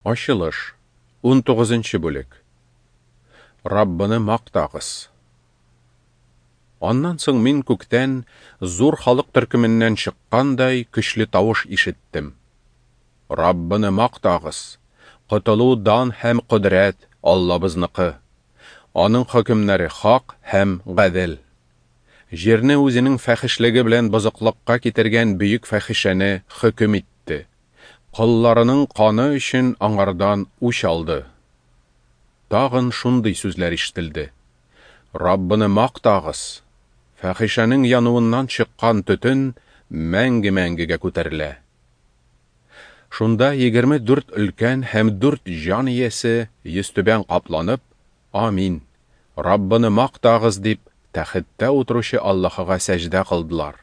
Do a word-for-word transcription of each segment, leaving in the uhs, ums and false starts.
Ачылыш, унтугызынчы бүлек. Раббыны мактагыз. Аннан соң мин күктән зур халык төркеменнән чыккандай көчле тавыш ишеттем. Раббыны мактагыз! Котылу, дан һәм кодрәт Аллабызныкы. Аның хөкемнәре хак һәм гадел. Җирне үзенең фәхешлеге белән бозыклыкка китергән бөек фәхишәне хөкем итте. Колларының каны өчен аңардан үч алды. Тагын шундый сүзләр ишетелде. Раббыны мактагыз! Фәхишәнең януыннан чыккан төтен мәңге-мәңгегә күтәрелә. Шунда егерме дүрт өлкән һәм дүрт җан иясе йөзтүбән капланып, Амин, Раббыны мактагыз дип, тәхеттә утыручы Аллаһыга сәҗдә кылдылар.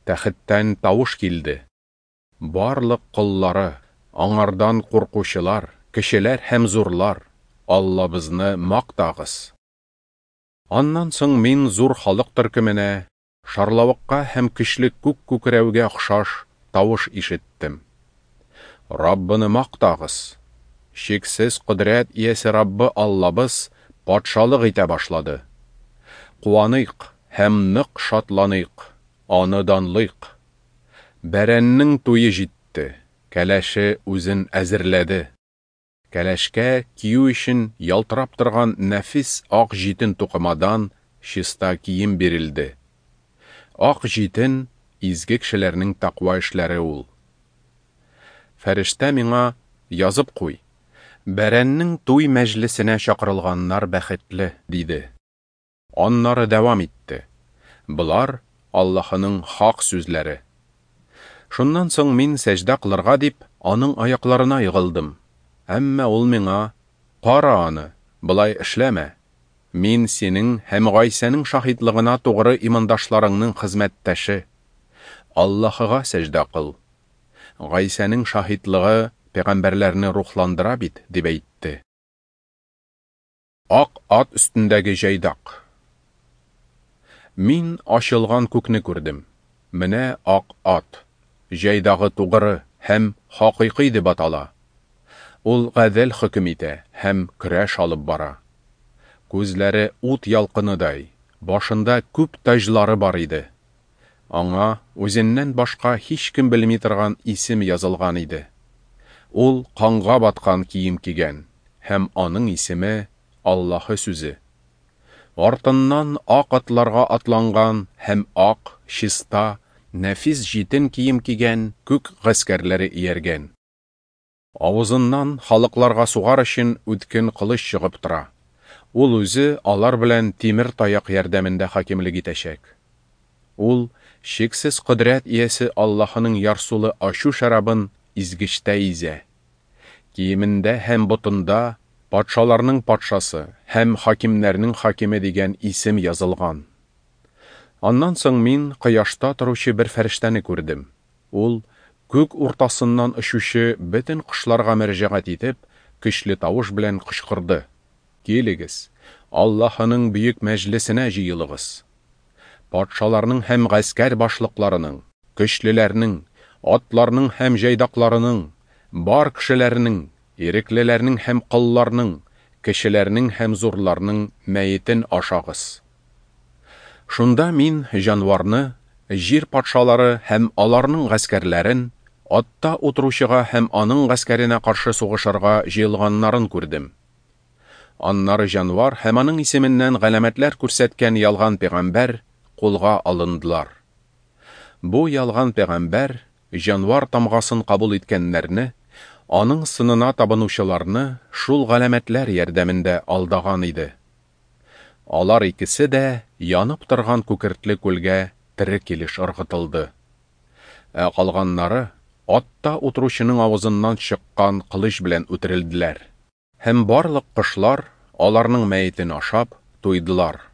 Тәхеттән тавыш килде. Барлык коллары, аңардан куркучылар, кешеләр һәм зурлар, Аллабызны мактагыз. Аннан соң мин зур халык төркеменә, шарлавыкка һәм көчле күк күкрәүгә охшаш тавыш ишеттем. Раббыны мактагыз! Чиксез кодрәт иясе Раббы Аллабыз патшалык итә башлады. Куаныйк һәм нык шатланыйк, аны данлыйк. Бәрәннең туе җитте, кәләше үзен әзерләде. Кәләшкә кию өчен ялтырап торган нәфис ак җитен тукымадан чиста кием бирелде. Ак җитен изге кешеләрнең тәкъва эшләре ул. Фәрештә миңа язып куй. Бәрәннең туй мәҗлесенә чакырылганнар бәхетле, диде. Аннары дәвам итте. Болар Аллаһының хак сүзләре. Шуннан соң мин сәҗдә кылырга дип, аның аякларына егылдым. Әмма ул миңа: "Кара аны, болай эшләмә. Мин синең һәм Гайсәнең шаһитлыгына тугры имандашларыңның хезмәттәше. Аллаһыга сәҗдә кыл. Гайсәнең шаһитлыгы пәйгамбәрләрне рухландыра бит", дип әйтте. Ак ат өстендәге җайдак. Мин ачылган күкне күрдем. Менә ак ат. Җайдагы тугры һәм хакыйкый дип атала. Ул гадел хөкем итә һәм көрәш алып бара. Күзләре ут ялкыныдай, башында күп таҗлары бар иде. Аңа үзеннән башка һичкем белми торган исем язылган иде. Ул канга баткан кием кигән һәм аның исеме Аллаһы сүзе. Артыннан ак атларга атланган һәм ак, чиста, нәфис җитен кием кигән күк гаскәрләре ияргән. Авызыннан халыкларга сугар өчен үткен кылыч чыгып тора. Ул үзе алар белән тимер таяк ярдәмендә хакимлек итәчәк. Ул чиксез кодрәт иясе Аллаһының ярсулы ачу шәрабын изгечтә изә. Киемендә һәм ботында патшаларның патшасы һәм хакимнәрнең хакиме дигән исем язылган. Аннан соң мин кояшта торучы бер фәрештәне күрдем. Ул күк уртасыннан очучы бөтен кошларга мөрәҗәгать итеп, көчле тавыш белән кычкырды: Килегез, Аллаһының бөек мәҗлесенә җыелыгыз. Патшаларның һәм гаскәр башлыкларының, көчлеләрнең, атларның һәм җайдакларының, бар кешеләрнең, иреклеләрнең һәм колларның, кешеләрнең һәм зурларның мәетен ашагыз. Шунда мин җанварны, җир патшалары һәм аларның гаскәрләрен, атта утыручыга һәм аның гаскәренә каршы сугышырга җыелганнарын күрдем. Аннары җанвар һәм аның исеменнән галәмәтләр күрсәткән ялган пәйгамбәр кулга алындылар. Бу ялган пәйгамбәр җанвар тамгасын кабул иткәннәрне, аның сынына табынучыларны шул галәмәтләр ярдәмендә алдаган иде. Алар икесе дә янып торган күкертле күлгә тере килеш ыргытылды. Ә калганнары атта утыручының авызыннан чыккан кылыч белән үтерелделәр. Һәм барлык кошлар аларның мәетен ашап туйдылар.